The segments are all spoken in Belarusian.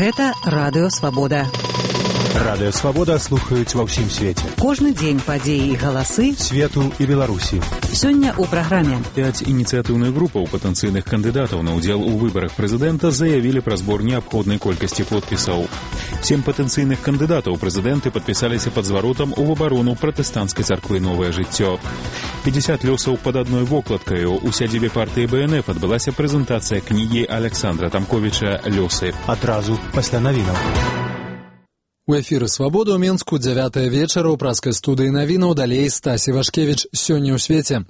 Гэта Радыё Свабода. Радыё Свабода слухаюць ва ўсім свеце. Кожны дзень падзеі і галасы свету і Беларусі. Сёння ў праграме 5 ініцыятыўных групаў патэнцыйных кандыдатаў на ўдзел у выбарах прэзідэнта заявілі пра збор неабходнай колькасці подпісаў. 7 патэнцыйных кандыдатаў прэзідэнты падпісаліся пад зваротам у абарону пратэстанцкай царквы «Новае жыццё». 50 лёсаў пад адной вокладкаю. У сядзібе партыі БНФ адбылася прэзентацыя кнігі Александра Тамковіча «Лёсы». Адразу пасля навінаў. У эфіры «Свабода» ў Менску 9 вечара ў праскай студыі навінаў, далей Стасі Вашкевіч. Сёння ў свеце.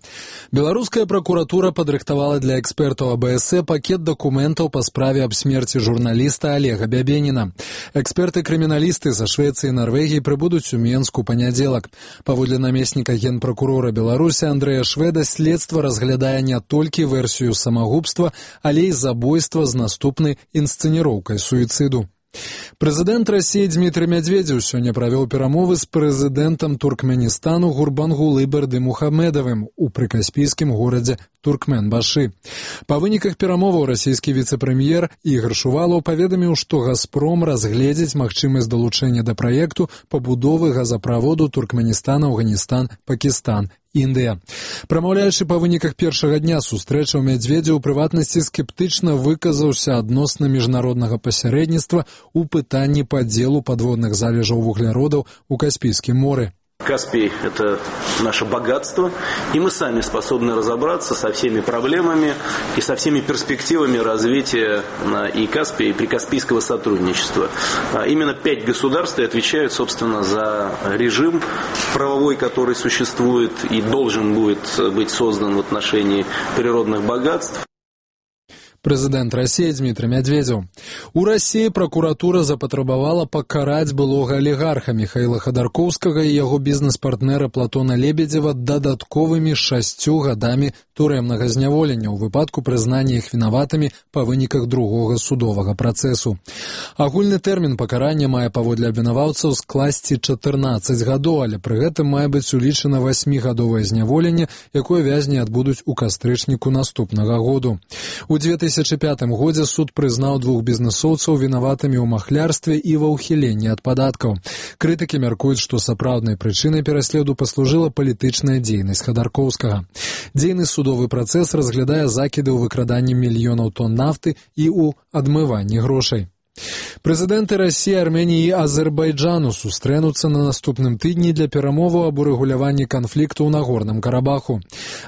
Беларуская пракуратура падрыхтавала для экспертаў АБС пакет дакументаў па справе аб смерці журналіста Олега Бябеніна. Эксперты-крыміналісты са Швецыі і Нарвегіі прыбудуць у Менску панядзелак. Паводле намесніка генпракурора Беларусі Андрэя Шведа, следства разглядае не толькі версію самагубства, але і забойства з наступнай інсцэніроўкай суіцыду. Прэзідэнт Расіі Дмітрый Медведзеў сёння правёў перамовы з прэзідэнтам Туркменістану Гурбангулы Бердымухамедовым у прыкаспійскім горадзе Туркменбашы. Па выніках перамоваў расійскі віцэ-прэм'ер Ігор Шувалаў паведаміў, што «Газпром» разгледзіць магчымасць далучэння да праекту пабудовы газаправоду Туркменістан-Афганістан-Пакістан. Індыя. Прамаўляючы па выніках першага дня сустрэчы, Медведзеў у прыватнасці скептычна выказаўся адносна міжнароднага пасярэдніцтва ў пытанні падзелу падводных залежаў вугляродаў у Каспійскім моры. Каспий – это наше богатство, и мы сами способны разобраться со всеми проблемами и со всеми перспективами развития и Каспия, и прикаспийского сотрудничества. Именно 5 государств отвечают, собственно, за режим правовой, который существует и должен будет быть создан в отношении природных богатств. Прэзідэнт Расіі Дмітрый Медведзеў. У Расіі пракуратура запатрабавала пакараць былога алігарха Міхаіла Хадаркоўскага і яго бізнес-партнера Платона Лебедзева дадатковымі 6 гадамі турэмнага зняволення ў выпадку прызнання іх вінаватымі па выніках другога судовага працэсу. Агульны тэрмін пакарання мае паводле абвінаваўцаў скласці 14 гадоў, але пры гэтым мае быць улічана 8-гадовае зняволенне, якое вязні адбудуць у кастрычніку наступнага году. У 2005 годзе суд прызнаў 2 бізнесоўцаў вінаватымі ў махлярстве і ва ўхіленні ад падаткаў. Крытыкі мяркуюць, што сапраўднай прычынай пераследу паслужыла палітычная дзейнасць Хадаркоўскага. Дзейны судовы працэс разглядае закіды ў выкраданні мільёнаў тонн нафты і ў адмыванні грошай. Прэзідэнты Расіі, Арменіі і Азербайджану сустрэнуцца на наступным тыдні для перамоваў аб урэгуляванні канфлікту ў Нагорным Карабаху.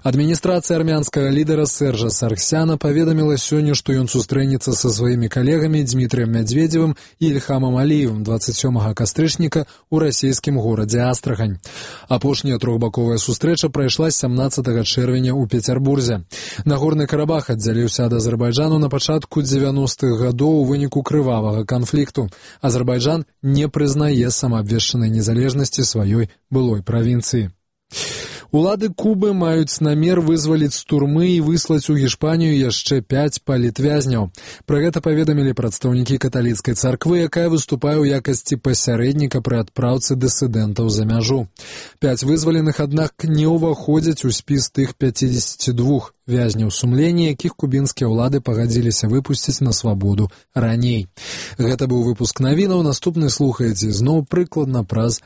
Адміністрацыя армянскага лідара Сержа Саргсяна паведаміла сёння, што ён сустрэнецца са сваімі калегамі Дмітрыем Медведзевым і Ільхамам Аліевым 27 кастрычніка ў расійскім горадзе Астрахань. Апошняя трохбаковая сустрэча прайшла 17 чэрвеня ў Пецярбурзе. Нагорны Карабах аддзяліўся ад Азербайджану на пачатку 90-х гадоў у выніку крывавага канфлікту. Азербайджан не прызнае самаабвешчанай незалежнасці сваёй былой правінцыі. Улады Кубы маюць намер вызваліць з турмы і выслаць у Гішпанію яшчэ 5 палітвязняў. Пра гэта паведамілі прадстаўнікі каталіцкай царквы, якая выступае ў якасці пасярэдніка пры адпраўцы дысідэнтаў за мяжу. 5 вызваленых, аднак, не ўваходзяць у спіс тых 52 вязняў сумлення, якіх кубінскія ўлады пагадзіліся выпусціць на свабоду раней. Гэта быў выпуск навінаў. Наступны слухаеце зноў прыкладна праз